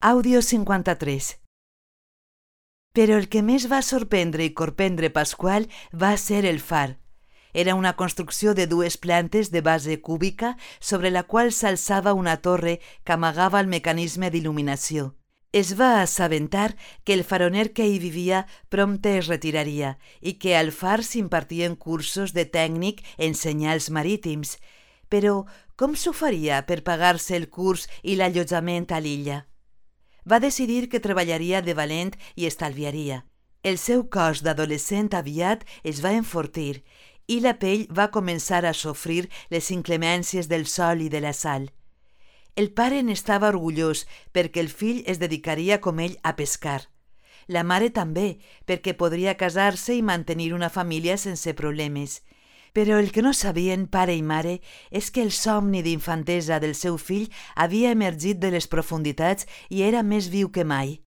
Àudio 53. Però el que més va sorprendre i corprendre Pasqual va ser el far. Era una construcció de 2 plantes de base cúbica sobre la qual s'alçava una torre que amagava el mecanisme d'il·luminació. Es va assabentar que el faroner que hi vivia prompte es retiraria i que al far s'impartien cursos de tècnic en senyals marítims. Però com s'ho faria per pagar-se el curs i l'allotjament a l'illa? Va decidir que treballaria de valent i estalviaria. El seu cos d'adolescent aviat es va enfortir i la pell va començar a sofrir les inclemències del sol i de la sal. El pare n'estava orgullós perquè el fill es dedicaria com ell a pescar. La mare també, perquè podria casar-se i mantenir una família sense problemes. Però el que no sabien pare i mare és que el somni d'infantesa del seu fill havia emergit de les profunditats i era més viu que mai.